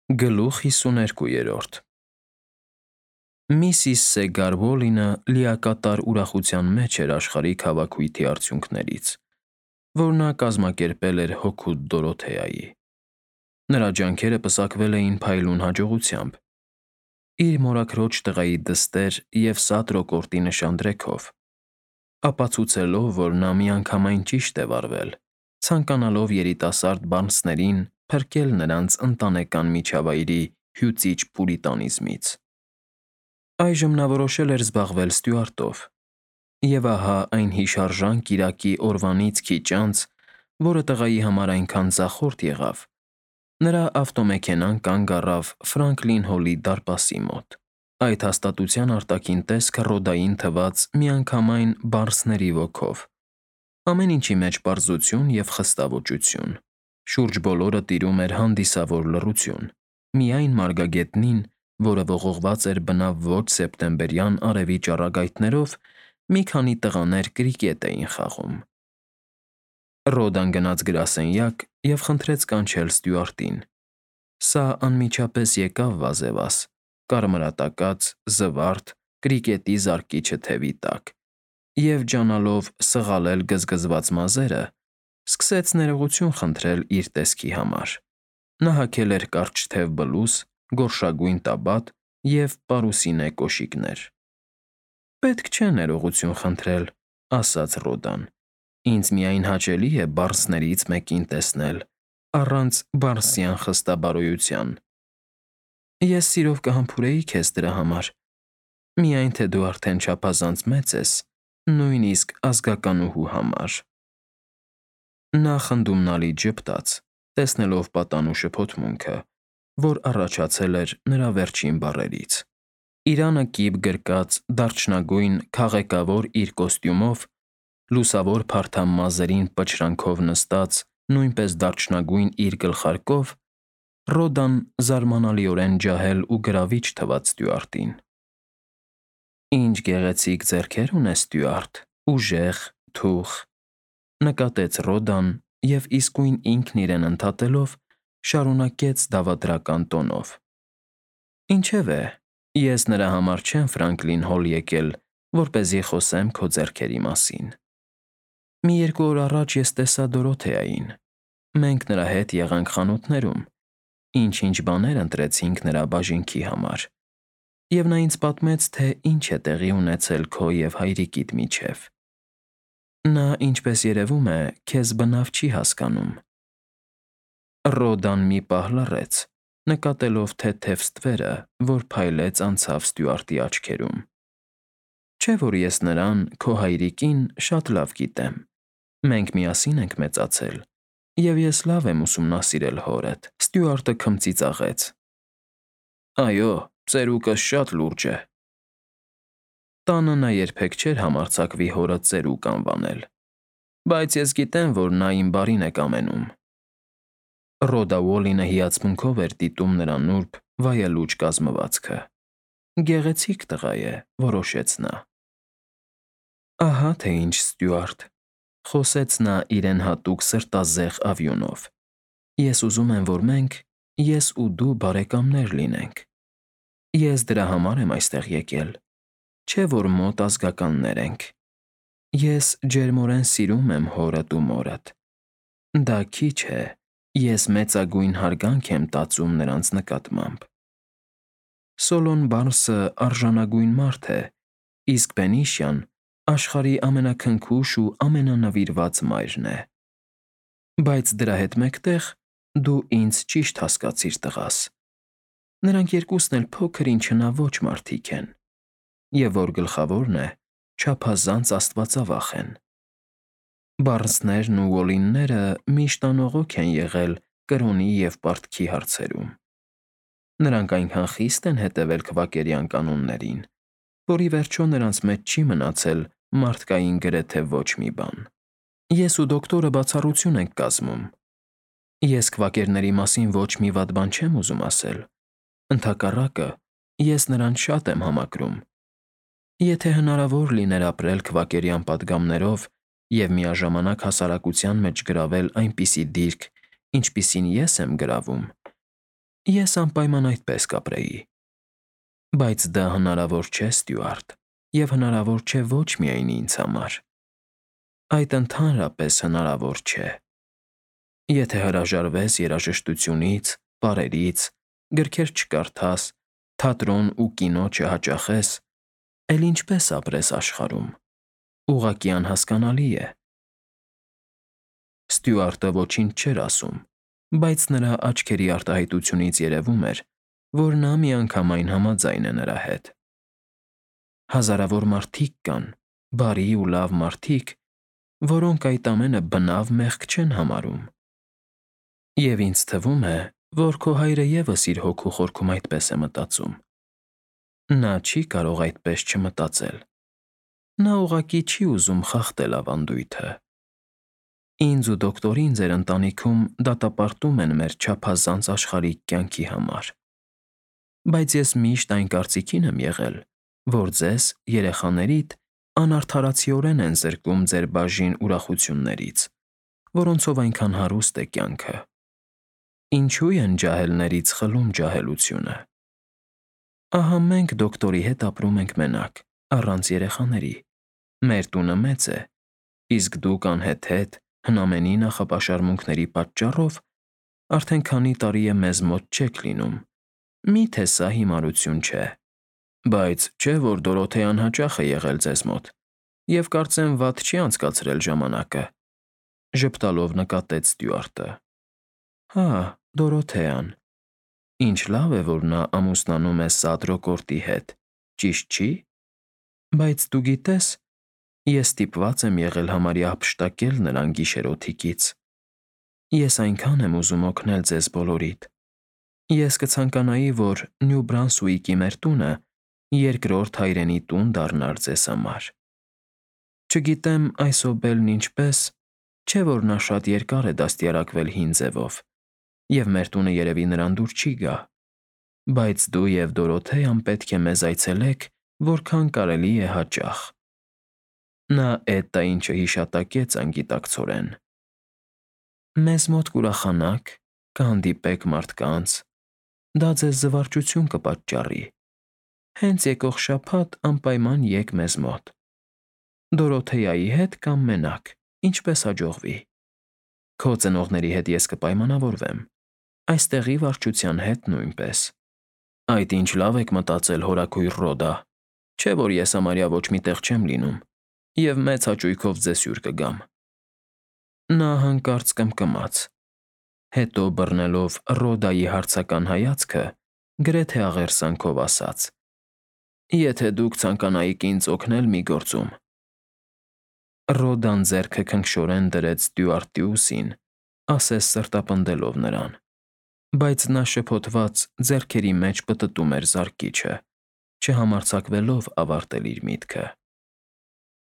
Գլուխ 52 Միսիս Սեգար Ուոլինը լիակատար ուրախության մեջ էր աշխարհիկ հավաքույթի արդյունքներից, որ նա կազմակերպել էր հօգուտ Դորոթեայի։ Նրա ջանքերը պսակվել էին փայլուն հաջողությամբ՝ իր մորաքրոջ տղայի դստեր և սատ նշան դրեքով, ապացուցելով, որ նա միանգամայն ճիշտ է վարվել, ցանկանալով երիտասարդ բառնցներին փրկել նրանց ընտանեկան միջավայրի հյուծիչ պուրիտանիզմից։ Այժմ նա որոշել էր զբաղվել ստյուարտով, և ահա այն հիշարժան կիրակի օրվանից քիչ անց, որը տղայի համար այնքան ձախորդ եղավ, նրա ավտոմեքենան կանգ առավ Ֆրանկլին Հոլի դարպասի մոտ։ Այդ հաստատության արտաքին տեսքը Ռոդային թվաց միանգամայն բառնցքների ոգով, ամեն ինչի մեջ պարզություն և խստավորություն։ Շուրջ բոլորը տիրում էր հանդիսավոր լռություն, միայն մարգագետնին, որը ողողված էր բնավ ոչ սեպտեմբերյան արևի ճառագայթներով, մի քանի տղաներ կրիկետ էին խաղում։ Ռոդան գնաց գրասենյակ և խնդրեց կանչել ստյուարտին։ Սա անմիջապես եկավ վազևազ, կարմրատակած, զվարթ, կրիկետի զարկիչը թևի տակ, և ջանալով սղալել գզգզված մազերը, սկսեց ներողություն խնդրել իր տեսքի համար։ Նա հագել էր կարճ թև բլուզ, գորշագույն տաբատ և պարուսինե կոշիկներ։ «Պետք չէ ներողություն խնդրել», ֊ ասաց Ռոդան։ «Ինձ միայն հաճելի է բառնցքներից մեկին տեսնել առանց բառնցյան խստաբարոյության։ Ես սիրով կհամբուրեի քեզ դրա համար, միայն թե դու արդեն չափազանց մեծ ես, նույնիսկ ազգականուհու համար»։ Նա խնդումնալի ժպտաց, տեսնելով պատանու շփոթմունքը, որ առաջացել էր նրա վերջին բառերից։ Իրանը կիպ գրկած դարչնագույն քաղեկավոր իր կոստյումով, լուսավոր փարթամ մազերին պչրանքով նստած նույնպես դարչնագույն իր գլխարկով, Ռոդան զարմանալիորեն ջահել ու գրավիչ թվաց ստյուարտին։ «Ինչ գեղեցիկ ձեռքեր ունես, ստյուարտ, ուժեղ, թուխ», ֊ նկատեց Ռոդան և իսկույն ինքն իրեն ընդհատելով շարունակեց դավադրական տոնով. «Ինչևէ, ես նրա համար չեմ Ֆրանկլին Հոլ եկել, որպեսզի խոսեմ քո ձեռքերի մասին։ Մի երկու օր առաջ ես տեսա Դորոթեային։ Մենք նրա հետ եղանք խանութներում, ինչ-ինչ բաներ ընտրեցինք նրա բաժինքի համար, և նա ինձ պատմեց, թե ինչ է տեղի ունեցել քո և հայրիկիդ միջև։ Նա, ինչպես երևում է, քեզ բնավ չի հասկանում»։ Ռոդան մի պահ լռեց, նկատելով թեթև ստվերը, որ փայլեց անցավ ստյուարտի աչքերում։ «Չէ՞ որ ես նրան, քո հայրիկին, շատ լավ գիտեմ։ Մենք միասին ենք մեծացել, և ես լավ եմ ուսումնասիրել հորդ», ֊ ստյուարտը քմծիծաղեց։ «Այո, ծերուկս շատ լուրջ է»։ Տանը նա երբեք չէր համարձակվի հորը ծերուկ անվանել, բայց ես գիտեմ, որ նա իմ բարին է կամենում։ Ռոդա Ուոլինը հիացմունքով էր դիտում նրա նուրբ, վայելուչ կազմվածքը։ «Գեղեցիկ տղա է», ֊ որոշեց նա։ «Ահա թե ինչ, ստյուարտ», ֊ խոսեց նա իրեն հատուկ սրտազեղ ավյունով։ «Ես ուզում եմ, որ մենք, ես ու դու բարեկամներ լինենք։ Ես դրա համար եմ այստեղ եկել, չէ՞ որ մոտ ազգականներ ենք։ Ես ջերմորեն սիրում եմ հորդ ու մորդ։ Դա քիչ է, ես մեծագույն հարգանք եմ տածում նրանց նկատմամբ։ Սոլոն Բարնսը արժանագույն մարդ է, իսկ Բենիշյան աշխարհի ամենաքնքուշ ու ամենանվիրված մայրն է։ Բայց դրա հետ մեկտեղ դու ինձ ճիշտ հասկացիր, տղաս։ Նրանք երկուսն էլ փոքր ինչ հնաոճ մարդիկ են, և որ գլխավորն է, չափազանց աստվածավախ են։ Բարնսներն ու Ուոլինները միշտ անողոք են եղել կրոնի և պարտքի հարցերում։ Նրանք այնքան խիստ են հետևել քվակերյան կանոններին, որ ի վերջո նրանց մեջ չի մնացել մարդկային գրեթե ոչ մի բան։ Ես ու դոկտորը բացառություն ենք կազմում։ Ես քվակերների մասին ոչ մի վատ բան չեմ ուզում ասել։ Ընդհակառակը, ես նրանց շատ եմ համակրում։ Եթե հնարավոր լիներ ապրել քվակերյան պատգամներով և միաժամանակ հասարակության մեջ գրավել այնպիսի դիրք, ինչպիսին ես եմ գրավում, Ես անպայման այդպես կապրեի։ Բայց դա հնարավոր չէ, Ստյուարտ, և հնարավոր չէ ոչ միայն ինձ համար։ Այդ ընդհանրապես հնարավոր չէ։ Եթե հրաժարվես երաժշտությունից, պարերից, գրքեր չկարդաս, թատրոն ու կինո չհաճախես, էլ ինչպես ապրես աշխարհում։ Ուղղակի անհասկանալի է։ Ստյուարտը ոչինչ չէր ասում, բայց նրա աչքերի արտահայտությունից երևում էր, որ նա միանգամայն համաձայն է նրա հետ։ Հազարավոր մարդիկ կան, բարի ու լավ մարդիկ, որոնք այդ ամենը բնավ մեղք չեն համարում։ Եվ ինձ թվում է, որ քո հայրը ևս իր հոգու խորքում այդպես է մտածում։ Նա չի կարող այդպես չմտածել։ Նա ուղղակի չի ուզում խախտել ավանդույթը։ Ինձ ու դոկտորին ձեր ընտանիքում դատապարտում են մեր չափազանց աշխարհիկ կյանքի համար։ Բայց ես միշտ այն կարծիքին եմ եղել, որ ձեզ, երեխաներիդ, անարդարացիորեն են զրկում ձեր բաժին ուրախություններից, որոնցով այնքան հարուստ է կյանքը։ Ինչու են ջահելներից խլում ջահելությունը։ Ահա մենք դոկտորի հետ ապրում ենք մենակ, առանց երեխաների։ Մեր տունը մեծ է, իսկ դուք անհեթեթ, հնամենի նախապաշարմունքների պատճառով արդեն քանի տարի է մեզ մոտ չեք լինում։ Միթե սա հիմարություն չէ։ Բայց չէ՞ որ Դորոթեան հաճախ է եղել ձեզ մոտ, և կարծեմ վատ չի անցկացրել ժամանակը, ժպտալով նկատեց Ստյուարտը։ Հա, Դորոթեան։ Ինչ լավ է, որ նա ամուսնանում է Սադրոկորտի հետ, ճիշտ չի։ Բայց դու գիտես, ես ստիպված եմ եղել համարյա հափշտակել նրան գիշերօթիկից։ Ես այնքան եմ ուզում օգնել ձեզ բոլորիդ։ Ես կցանկանայի, որ Նյու Բրանսուիկի մեր տունը երկրորդ հայրենի տուն դառնար ձեզ համար։ Չգիտեմ այսօբելն ինչպես, չէ որ նա շատ երկար է դաստիարակվել հին ձևով, և մեր տունը երևի նրան դուր չի գա, բայց դու և Դորոթեան պետք է մեզ այցելեք, որքան կարելի է հաճախ։ Նա էդ ինչը հիշատակեց անգիտակցորեն։ Մեզ մոտ կուրախանաք, կհանդիպեք մարդկանց, դա ձեզ զվարճություն կպատճառի։ Հենց եկող շաբաթ անպայման եկ մեզ մոտ։ Դորոթեայի հետ կամ մենակ, ինչպես հաջողվի։ Քո ծնողների հետ ես կպայմանավորվեմ, այստեղի վարչության հետ նույնպես։ Այդ ինչ լավ եք մտածել, հորաքույր Ռոդա, չէ որ ես համարյա ոչ մի տեղ չեմ լինում, և մեծ հաճույքով ձեզ հյուր կգամ։ Նա հանկարծ կմկմաց, հետո բռնելով Ռոդայի հարցական հայացքը, գրեթե աղերսանքով ասաց. Եթե դուք ցանկանայիք ինձ օգնել մի գործում։ Ռոդան ձեռքը քնքշորեն դրեց Ստյուարտի ուսին, ասես սրտապնդելով նրան, բայց նա շփոթված ձեռքերի մեջ պտտում էր զարկիչը, չհամարձակվելով ավարտել իր միտքը։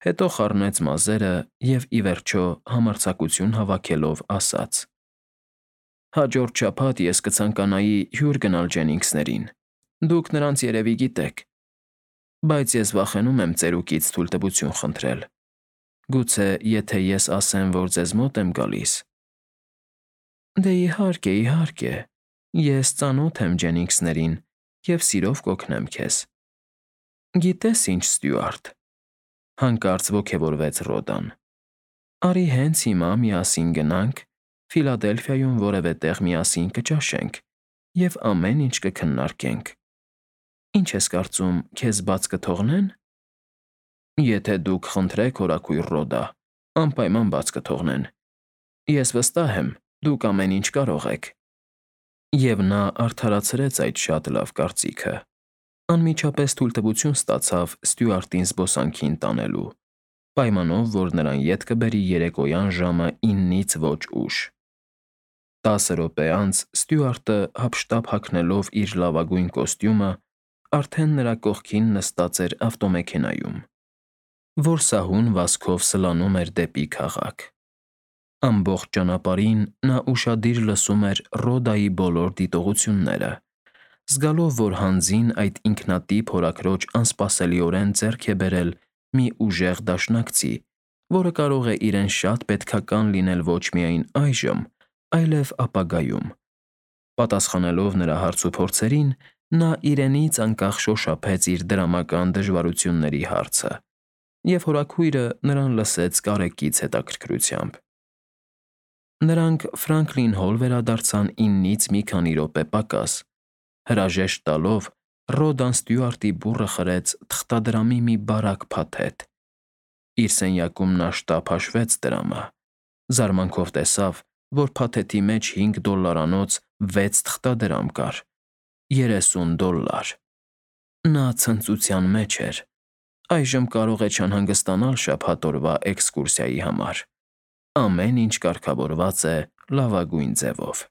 Հետո խառնեց մազերը և, ի վերջո, համարձակություն հավաքելով ասաց. Հաջորդ շաբաթ ես կցանկանայի հյուր գնալ Ջենինգսներին, դուք նրանց երևի գիտեք, բայց ես վախենում եմ ծերուկից թույլտվություն խնդրել։ Գուցե եթե ես ասեմ, որ ձեզ մոտ եմ գալիս։ Դե իհարկե, իհարկե, ես ծանոթ եմ Ջենինգսներին և սիրով կօգնեմ քեզ։ Գիտես ինչ, Ստյուարտ, հանկարծ ոգևորվեց Ռոդան։ Արի հենց հիմա միասին գնանք, Ֆիլադելֆիայում որևէ տեղ միասին կճաշենք և ամեն ինչ կքննարկենք։ Ինչ ես կարծում, քեզ բաց կթողնե՞ն։ Եթե դուք խնդրեք, հորաքույր Ռոդա, անպայման բաց կթողնեն։ Ես վստահ եմ, դուք ամեն ինչ կարող եք։ Եվ նա արդարացրեց այդ շատ լավ կարծիքը։ Անմիջապես թույլտվություն ստացավ Ստյուարտին զբոսանքին տանելու, պայմանով, որ նրան ետ կբերի երեկոյան ժամը 9-ից ոչ ուշ։ 10 րոպե անց Ստյուարտը, հափշտապ հագնելով իր լավագույն կոստյումը, արդեն նրա կողքին նստած էր ավտոմեքենայում, որ սահուն վազքով սլանում էր դեպի քաղաք։ Ամբողջ ճանապարհին նա ուշադիր լսում էր Ռոդայի բոլոր դիտողությունները, զգալով, որ հանձին այդ ինքնատիպ հորաքրոջ անսպասելիորեն ձեռք է բերել մի ուժեղ դաշնակցի, որը կարող է իրեն շատ պետքական լինել ոչ միայն այժմ, այլև ապագայում։ Պատասխանելով նրա հարցուփորձերին, նա իրենից անկախ շոշափեց իր դրամական դժվարությունների հարցը, և հորաքույրը նրան լսեց կարեկից հետաքրքրությամբ։ Նրանք Ֆրանկլին Հոլ վերադարձան 9-ից մի քանի րոպե պակաս, հրաժեշտ տալով Ռոդան Ստյուարտի բուռը խրեց թղթադրամի մի բարակ փաթեթ։ Իր սենյակում նա շտապ հաշվեց դրամը, զարմանքով տեսավ, որ փաթեթի մեջ $5-անոց 6 թղթադրամ կար, $30։ Նա ցնծության մեջ էր։ Այժմ կարող է չանհանգստանալ շաբաթ օրվա էքսկուրսիայի համար։ Ամեն ինչ կարգավորված է լավագույն ձևով։